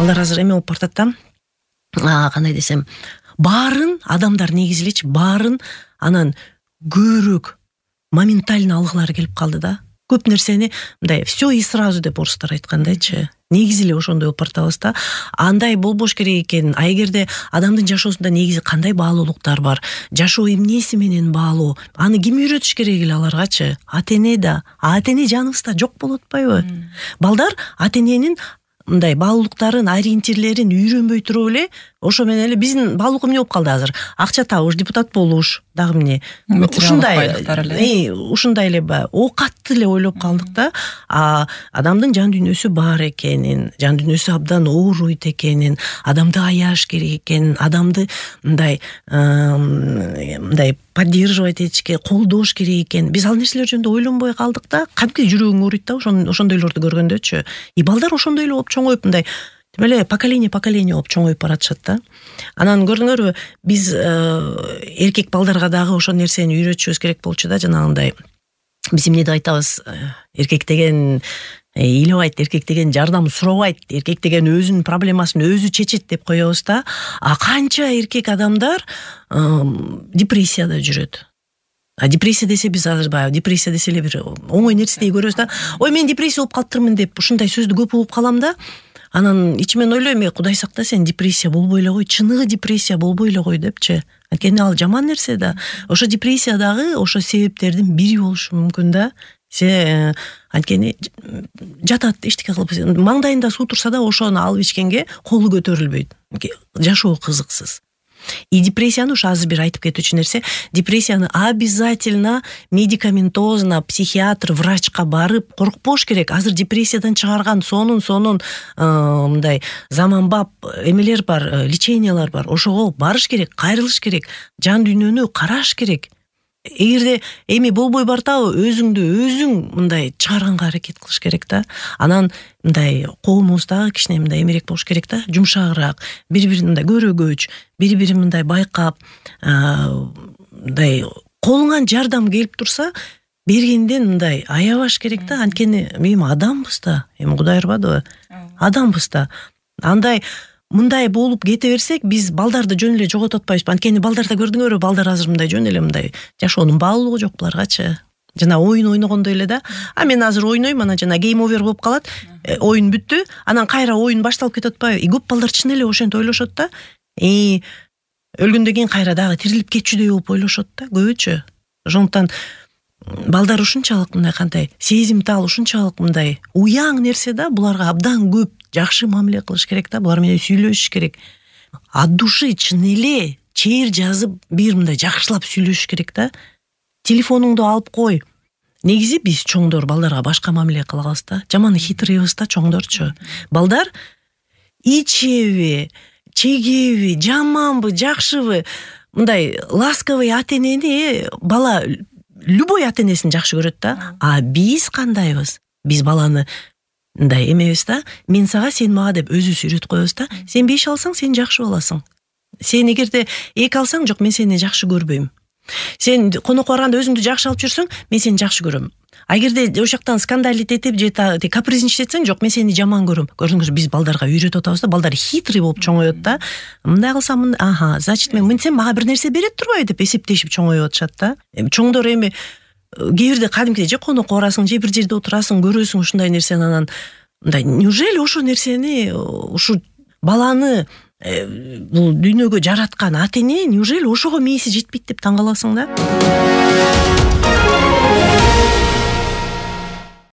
балдар азыр эме болуп бартат да. Кандай десем, баарын адамдар негизи элечи баарын анан көбүрөөк моментально алгылары келип калды да. Көп нерсени мындай все и сразу деп орустар айткандайчы. Негизи эле ошондой болуп бартабыз да. Андай болбош керек экен. А эгерде адамдын жашоосунда негизи кандай баалуулуктар бар, жашоо эмнеси менен баалуу, аны ким үйрөтүш керек эле аларгачы? Ата-эне да. Ата-эне жаныбызда жок болуп атпайбы? Балдар ата-эненин мындай баалуулуктарын, ориентирлерин үйрөнбөй туруп эле ошо менен эле биздин баалуулук эмне болуп калды азыр? Акча табыш, депутат болуш, дагы эмне? Ушундай эле оокатты эле ойлоп калдык да. Адамдын жан дүйнөсү бар экенин, жан дүйнөсү абдан ооруйт экенин, адамды аяш керек экенин, адамды мындай поддерживать этишке, колдош керек экен. Биз ал нерселер жөнүндө ойлонбой калдык да. Кантип жүрөгүң ооруйт да ошондойлорду көргөндөчү. И балдар ошондой эле болуп чоңоюп мындай эле поколение болуп чоңоюп баратышат да. Анан көрдүңөрбү, биз эркек балдарга дагы ошол нерсени үйрөтүшүбүз керек болчу да, жанагындай. Биз эмне деп айтабыз? Эркек деген ыйлабайт, эркек деген жардам сурабайт, эркек деген өзүнүн проблемасын өзү чечет деп коебуз да. А канча эркек адамдар депрессияда жүрөт. Депрессия десе биз азыр депрессия десе эле бир оңой нерседей көрөбүз да. Ой, мен депрессия болуп калыптырмын деп ушундай сөздү көп угуп калам да. Анан ичимен ойлойм, Кудай сакта, сен депрессия болбой эле кой, чыныгы депрессия болбой эле кой депчи. Анткени ал жаман нерсе да. Ошо депрессия дагы ошо себептердин бири болушу мүмкүн да. Анткени жатат, эчтеке кылып, маңдайында суу турса да ошону алып ичкенге колу көтөрүлбөйт. Жашоо кызыксыз. И депрессияны ушу азыр бир айтып кетүүчү нерсе, депрессияны обязательно медикаментозно психиатр, врачка барып коркпош керек. Азыр депрессиядан чыгарган сонун мындай заманбап эмелер бар, лечениялар бар. Ошого барыш керек, кайрылыш керек, жан дүйнөнү караш керек. Эгерде эми болбой бартабы, өзүң мындай чыгарганга аракет кылыш керек да. Анан мындай коомубуздагы кичине мындай эмерээк болуш керек да, жумшагыраак, бири-бирин мындай көрөгөч, бири-бирин мындай байкап, мындай колуңан жардам келип турса, бергенден мындай аябаш керек да. Анткени эми адамбыз да, эми Кудай ырбадыбы? Адамбыз да. Андай мындай болуп кете берсек, биз балдарды жөн эле жоготуп атпайбызбы? Анткени балдарда көрдүңөрбү, балдар азыр мындай жөн эле мындай жашоонун баалуулугу жок буларгачы. Жана оюн ойногондой эле да. Мен азыр ойнойм, анан жана гейм овер болуп калат, оюн бүттү, анан кайра оюн башталып кетип атпайбы? Көп балдар чын эле ошентип ойлошот да. Өлгөндөн кийин кайра дагы тирилип кетчүдөй болуп ойлошот да, көбүчө. Ошондуктан балдар ушунчалык мындай кандай сезимтал, ушунчалык мындай уяң нерсе да, буларга абдан көп жакшы мамиле кылыш керек да, булар менен сүйлөшүш керек. От души чын эле чейир жазып бир мындай жакшылап сүйлөшүш керек да. Телефонуңду алып кой. Негизи биз чоңдор балдарга башка мамиле кылабыз да. Жаман хитрыйбыз да чоңдорчу. Балдар ичеби, чегеби, жаманбы, жакшыбы, мындай ласковый ата-энени бала любой ата-энесин жакшы көрөт да. А биз кандайбыз? Биз баланы мындай эмебиз да, мен сага, сен мага деп өзүбүз үйрөтүп коебуз да. Сен 5 алсаң, сен жакшы баласың. Сен эгерде 2 алсаң, жок, мен сени жакшы көрбөйм. Сен конокко барганда өзүңдү жакшы алып жүрсөң, мен сени жакшы көрөм. А эгерде ошол жактан скандалить этип же капризничать этсең, жок, мен сени жаман көрөм. Көрдүңүз, биз балдарга үйрөтүп атабыз да, балдар хитрый болуп чоңоет да. Мындай кылсам, значит мен мынтсем мага бир нерсе берет турбайбы деп эсептешип чоңоюп атышат да. Чоңдор эми кээ бирде кадимкидей же конокко барасың, же бир жерде отурасың, көрөсүң ушундай нерсени, анан мындай неужели ошо нерсени, ушу баланы бул дүйнөгө жараткан ата-эне неужели ошого мээси жетпейт деп таң каласың да.